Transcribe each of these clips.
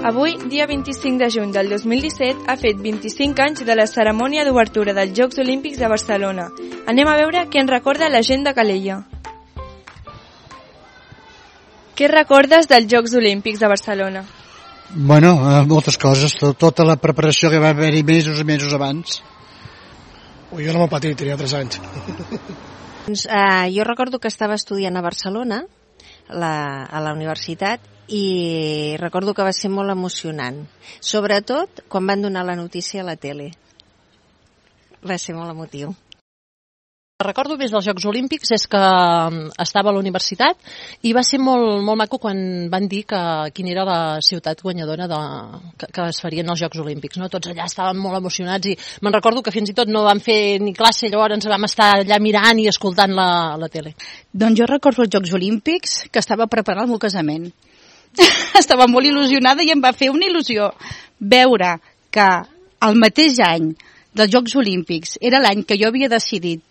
Avui, dia 25 de juny del 2017, ha fet 25 anys de la cerimònia d'obertura dels Jocs Olímpics de Barcelona. Anem a veure què ens recorda la gent de Calella. Què recordes dels Jocs Olímpics de Barcelona? Bueno, moltes coses. Tota la preparació que va haver-hi mesos i mesos abans. Jo era molt petit, tenia 3 anys. Jo recordo que estava estudiant a Barcelona, a la universitat, i recordo que va ser molt emocionant, sobretot quan van donar la notícia a la tele. Va ser molt emotiu. Recordo més dels Jocs Olímpics és que estava a la universitat i va ser molt, molt maco quan van dir quina era la ciutat guanyadora que es farien els Jocs Olímpics. No? Tots allà estaven molt emocionats i me'n recordo que fins i tot no vam fer ni classe, llavors ens vam estar allà mirant i escoltant la tele. Doncs jo recordo els Jocs Olímpics que estava preparant el meu casament. Estava molt il·lusionada i em va fer una il·lusió veure que el mateix any dels Jocs Olímpics era l'any que jo havia decidit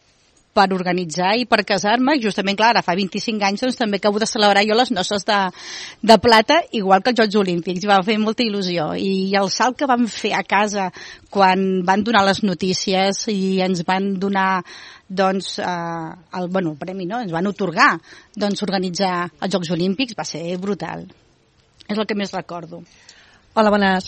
per organitzar i per casar-me, justament, clar, ara fa 25 anys doncs també acabo de celebrar jo les noces de plata, igual que els Jocs Olímpics, i va fer molta il·lusió. I el salt que vam fer a casa quan van donar les notícies i ens van donar doncs, el premi, no? Ens van atorgar organitzar els Jocs Olímpics, va ser brutal. És el que més recordo. Hola, bones.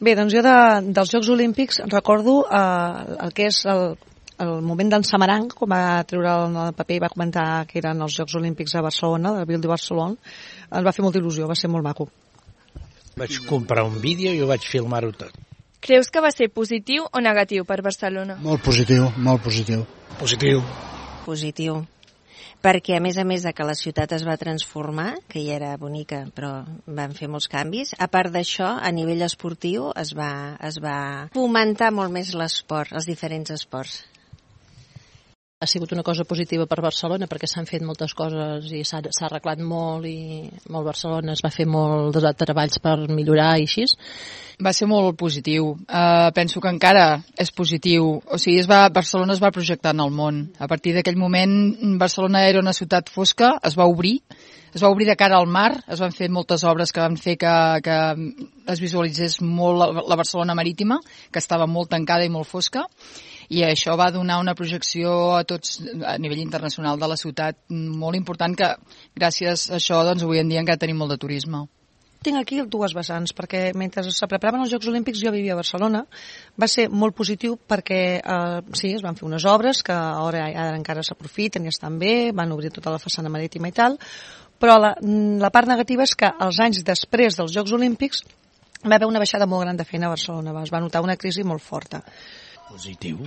Bé, doncs jo dels Jocs Olímpics recordo el que és el moment d'en Samaranch, quan va treure el paper i va comentar que eren els Jocs Olímpics a Barcelona, de la Ville de Barcelona, ens va fer molta il·lusió, va ser molt maco. Vaig comprar un vídeo i ho vaig filmar-ho tot. Creus que va ser positiu o negatiu per Barcelona? Molt positiu, molt positiu. Positiu. Positiu. Perquè a més de que la ciutat es va transformar, que ja era bonica, però van fer molts canvis, a part d'això, a nivell esportiu es va fomentar molt més l'esport, els diferents esports. Ha sigut una cosa positiva per Barcelona perquè s'han fet moltes coses i s'ha arreglat molt i molt Barcelona es va fer molt de treballs per millorar i així. Va ser molt positiu. Penso que encara és positiu. O sigui, Barcelona es va projectar en el món. A partir d'aquell moment, Barcelona era una ciutat fosca, es va obrir de cara al mar, es van fer moltes obres que van fer que es visualitzés molt la Barcelona marítima, que estava molt tancada i molt fosca, i això va donar una projecció a tots a nivell internacional de la ciutat molt important, que gràcies a això doncs, avui en dia encara tenim molt de turisme. Tinc aquí dues vessants, perquè mentre se preparaven els Jocs Olímpics jo vivia a Barcelona. Va ser molt positiu perquè sí, es van fer unes obres que ara encara s'aprofiten i estan bé, van obrir tota la façana marítima i tal, però la part negativa és que els anys després dels Jocs Olímpics va haver una baixada molt gran de feina a Barcelona, es va notar una crisi molt forta. Positiu,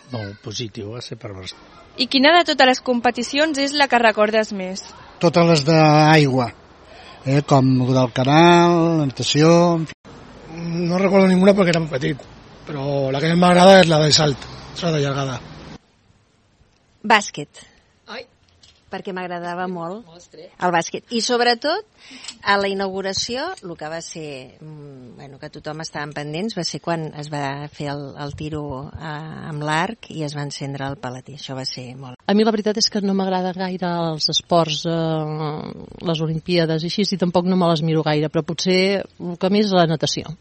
molt positiu va ser per Barcelona. I quina de totes les competicions és la que recordes més? Totes les d'aigua, com el del canal, la natació... No recordo ninguna perquè era molt petit, però la que més m'agrada és la de salt, és la de llargada. Bàsquet. Perquè m'agradava molt el bàsquet. I sobretot, a la inauguració, el que va ser, que tothom estava pendents, va ser quan es va fer el tiro amb l'arc i es va encendre el paleter. Això va ser molt... A mi la veritat és que no m'agrada gaire els esports, les Olimpíades i així, i tampoc no me les miro gaire, però potser el que més és la natació.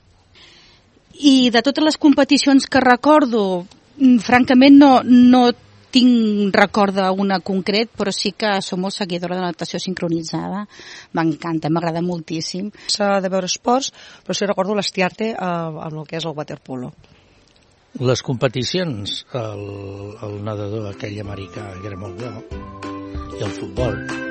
I de totes les competicions que recordo, francament no tinc record d'una concret, però sí que som molt seguidora de la natació sincronitzada. M'encanta, m'agrada moltíssim. S'ha de veure esports, però sí recordo l'estiarte amb el que és el waterpolo. Les competicions, el nedador aquell americà que era molt bo, i el futbol.